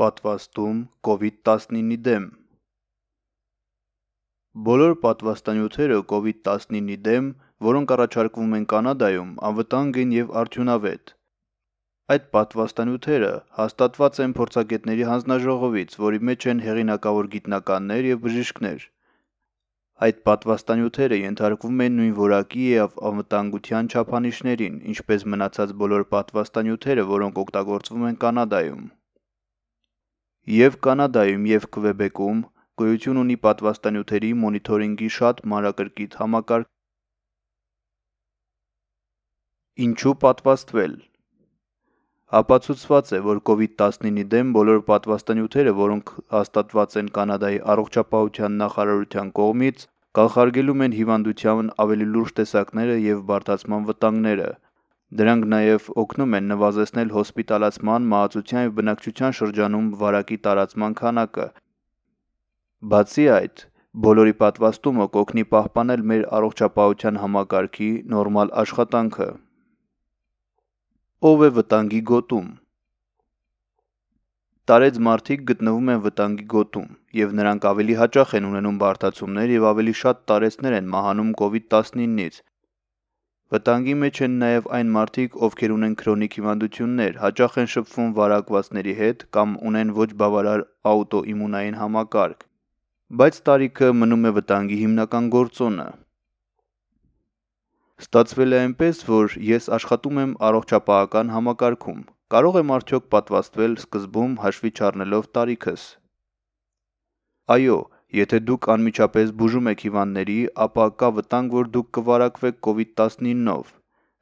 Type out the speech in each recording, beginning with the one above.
Պատվաստում COVID-19-ի դեմ։ Բոլոր պատվաստանյութերը COVID-19-ի դեմ, որոնք առաջարկվում են Կանադայում, անվտանգ են և արդյունավետ։ Այդ պատվաստանյութերը հաստատված են փորձագետների հանձնաժողովից, որի մեջ են հեղինակավոր գիտնականներ և բժիշկներ։ Այդ պատվաստանյութերը ենթարկվում են նույն որակի և անվտանգության չափանիշներին, ինչպես մնացած բոլոր պատվաստանյութերը, որոնք օգտագործվում են Կանադայում։ Եվ Կանադայում և Քվեբեկում գոյություն ունի պատվաստանյութերի մոնիթորինգի շատ մանրակրկիտ համակարգ։ Ինչու պատվաստվել։ Ապացուցված է, որ COVID-19-ի դեմ բոլոր պատվաստանյութերը, որոնք հաստատված են Կանադայի առողջապահության նախարարության կողմից, կանխարգելում են հիվանդության ավելի լուրջ տեսակները և բարդացման վտանգները։ Դրանք նաև օգնում են նվազեցնել հոսպիտալացման, մահացության և բնակչության շրջանում վարակի տարածման քանակը։ Բացի այդ, բոլորի պատվաստումը կօգնի պահպանել մեր առողջապահության համակարգի նորմալ աշխատանքը։ Ով է վտանգի գոտում։ Տարեց մարդիկ գտնվում են վտանգի գոտում, և նրանք ավելի հաճախ են ունենում բարդացումներ և ավելի շատ տարեցներ են մահանում COVID-19-ից։ Վտանգի մեջ են նաև այն մարդիկ, ովքեր ունեն քրոնիկ հիվանդություններ, հաճախ են շփվում վարակվածների հետ կամ ունեն ոչ բավարար աուտոիմունային համակարգ։ Բայց տարիքը մնում է վտանգի հիմնական գործոնը։ Ստացվել է այնպես, որ ես աշխատում եմ առողջապահական համակարգում։ Կարող եմ արդյոք պատվաստվել սկզբում հաշվի չառնելով տարիքս։ Այո, եթե դուք անմիջապես բուժում եք հիվանդների, ապա կա վտանգ, որ դուք կվարակվեք COVID-19-ով։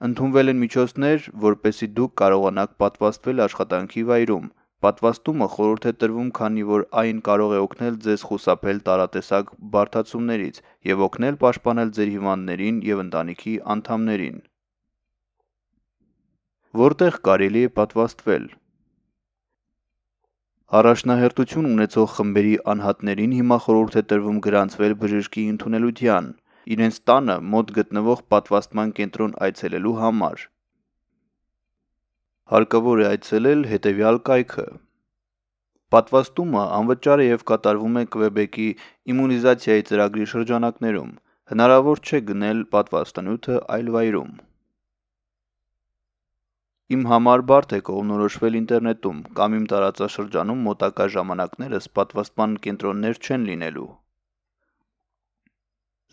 Ընդունվել են միջոցներ, որպեսզի դուք կարողանաք պատվաստվել աշխատանքի վայրում։ Պատվաստումը խորհուրդ է տրվում, քանի որ այն կարող է օգնել ձեզ խուսափել տարատեսակ բարդացումներից և օգնել պաշտպանել ձեր հիվանդներին և ընտանիքի անդամներին։ Որտեղ կարելի է պատվաստվել։ Առաջնահերթություն ունեցող խմբերի անհատներին հիմա խորհուրդ է տրվում գրանցվել բժշկի ընդունելության, իրենց տանը մոտ գտնվող պատվաստման կենտրոն այցելելու համար։ Հարկավոր է այցելել հետևյալ կայքը։ Պատվաստումը անվճար է և կատարվում է Քվեբեկի իմունիզացիայի ծրագրի շրջանակներում։ Հնարավոր չէ գնել պատվաստանյութը այլ վայրում։ Իմ համար բարդ է կողմնորոշվել ինտերնետում կամ իմ տարածաշրջանում մոտակա ժամանակներս պատվաստման կենտրոններ չեն լինելու։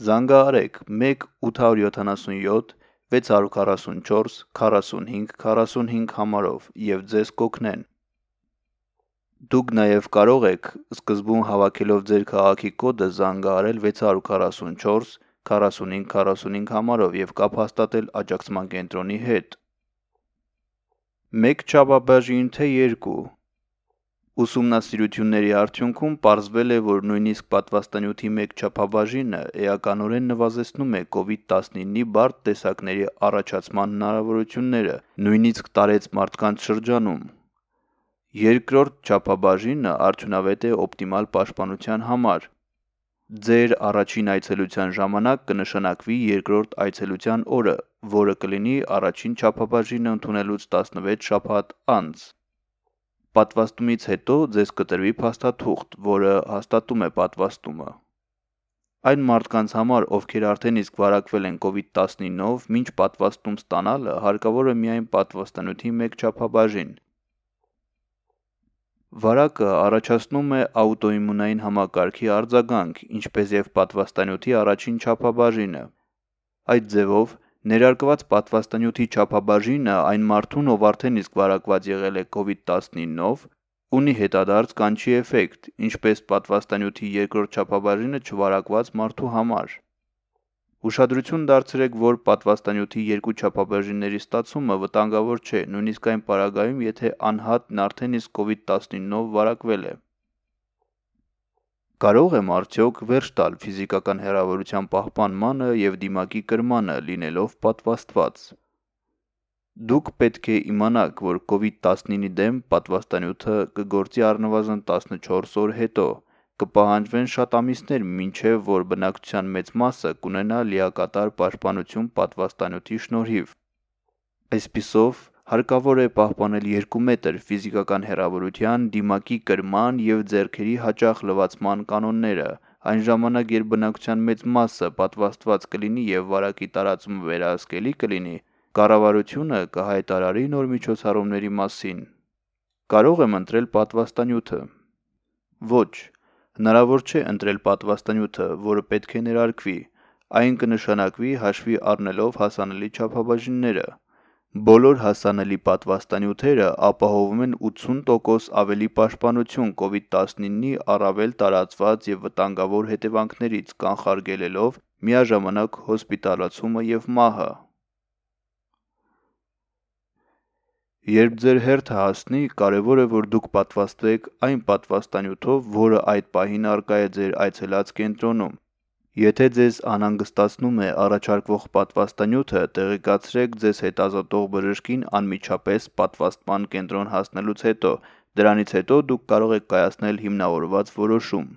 Զանգահարեք 1-877 644 45 45 համարով և ձեզ կօգնեն։ Դուք նաև կարող եք սկզբում հավաքելով ձեր քաղաքի կոդը զանգահարել 644 45 45 համարով և կապ հաստատել աջակցման կենտրոնի հետ։ Մեկ չափաբաժին թե երկու։ Ուսումնասիրությունների արդյունքում պարզվել է, որ նույնիսկ պատվաստանյութի մեկ չափաբաժինը էականորեն նվազեցնում է COVID-19-ի բարդ տեսակների առաջացման հնարավորությունները, նույնիսկ տարեց մարդկանց շրջանում։ Երկրորդ չափաբաժինը արդյունավետ է օպտիմալ պաշտպանության համար։ Ձեր առաջին այցելության ժամանակ կնշանակվի երկրորդ այցելության օրը, որը կլինի առաջին չափաբաժինը ընդունելուց 16 շաբաթ անց։ Պատվաստումից հետո ձեզ կտրվի փաստաթուղթ, որը հաստատում է պատվաստումը։ Այն մարդկանց համար, ովքեր արդեն իսկ վարակվել են COVID-19-ով, մինչ պատվաստում ստանալը հարկավոր է միայն պատվաստանյութի մեկ չափաբաժին։ Վարակը առաջացնում է աուտոիմունային համակարգի արձագանք, ինչպես և պատվաստանյութի առաջին չափաբաժինը։ Այդ ձևով, ներարկված պատվաստանյութի չափաբաժինը այն մարդուն, ով արդեն իսկ վարակված եղել է COVID-19-ով, ունի հետադարձ կանչի էֆեկտ, ինչպես պատվաստանյութի երկրորդ չափաբաժինը չվարակված մարդու համար։ Ուշադրություն դարձրեք, որ պատվաստանյութի երկու չափաբաժինների ստացումը վտանգավոր չէ, նույնիսկ այն պարագայում, եթե անհատն արդեն իսկ COVID-19-ով վարակվել է։ Կարող եմ արդյոք վերջ տալ ֆիզիկական հեռավորության պահպանմանը և դիմակի կրմանը, լինելով պատվաստված։ Դուք պետք է իմանաք, որ COVID-19-ի դեմ պատվաստանյութը կգործի առնվազն 14 օր հետո։ Կպահանջվեն շատ ամիսներ, մինչև որ բնակչության մեծ մասը կունենա լիակատար պաշտպանություն պատվաստանյութի շնորհիվ։ Այսպիսով, Հարկավոր է պահպանել 2 մետր ֆիզիկական հեռավորության, դիմակի կրման և ձեռքերի հաճախ լվացման կանոնները, այն ժամանակ, երբ բնակչության մեծ մասը պատվաստված կլինի և վարակի տարածումը վերահսկելի կլինի, կառավարությունը կհայտարարի նոր միջոցառումների մասին։ Կարող եմ ընտրել պատվաստանյութը։ Ոչ, հնարավոր չէ ընտրել պատվաստանյութը, որը պետք է ներարկվի, այն կնշանակվի հաշվի առնելով հասանելի չափաբաժինները։ Բոլոր հասանելի պատվաստանյութերը ապահովում են 80% ավելի պաշտպանություն COVID-19-ի առավել տարածված և վտանգավոր հետևանքներից, կանխարգելելով միաժամանակ հոսպիտալացումը և մահը։ Երբ ձեր հերթը հասնի, կարևոր է, որ դուք պատվաստվեք այն պատվաստանյութով, որը այդ պահին առկա է ձեր այցելած կենտրոնում։ Եթե ձեզ անհանգստացնում է առաջարկվող պատվաստանյութը, տեղեկացրեք ձեզ հետազոտող բժշկին անմիջապես պատվաստման կենտրոն հասնելուց հետո, դրանից հետո դուք կարող եք կայացնել հիմնավորված որոշում։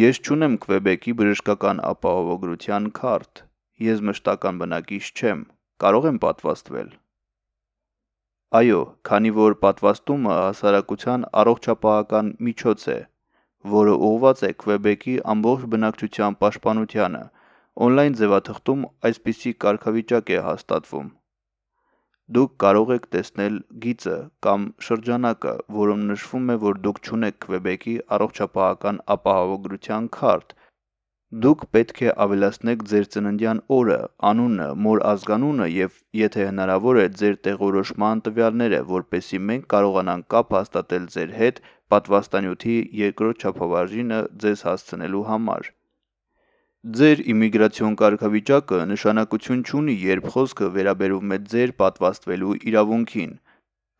Ես չունեմ Քվեբեկի բժշկական ապահովագրության քարտ։ Ես մշտական բնակիչ չեմ։ Կարող եմ պատվաստվել։ Այո, քանի որ պատվաստումը հասարակության առողջապահական միջոց է, որը ուղղված է Քվեբեկի ամբողջ բնակչության պաշտպանությանը, օնլայն ձևաթղթում այսպիսի կարգավիճակ է հաստատվում։ Դուք կարող եք տեսնել գիծը կամ շրջանակը, որում նշվում է, որ դուք չունեք Քվեբեկի առողջապահական ապահովագրության քարտ։ Դուք պետք է ավելացնեք ձեր ծննդյան օրը, անունը, մոր ազգանունը և, եթե հնարավոր է, ձեր տեղորոշման տվյալները, որպեսզի մենք կարողանանք կապ հաստատել ձեր հետ պատվաստանյութի երկրորդ չափաբաժինը ձեզ հասցնելու համար։ Ձեր իմիգրացիոն կարգավիճակը նշանակություն չունի, երբ խոսքը վերաբերում է ձեր պատվաստվելու իրավունքին։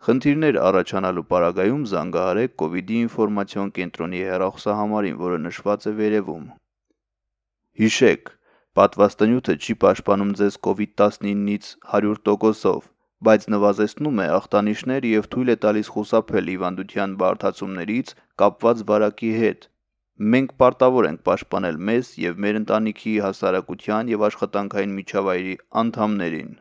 Խնդիրներ առաջանալու պարագայում զանգահարեք COVID-ի ինֆորմացիոն կենտրոնի հեռախոսահամարին, որը նշված է վերևում։ Հիշեք, պատվաստանյութը չի պաշտպանում ձեզ COVID-19-ից 100%-ով, բայց նվազեցնում է ախտանիշներ և թույլ է տալիս խուսափել հիվանդության բարդացումներից կապված վարակի հետ։ Մենք պարտավոր ենք պաշտպանել մեզ և մեր ընտանիքի, հասարակության և աշխատանքային միջավայրի անդամներին։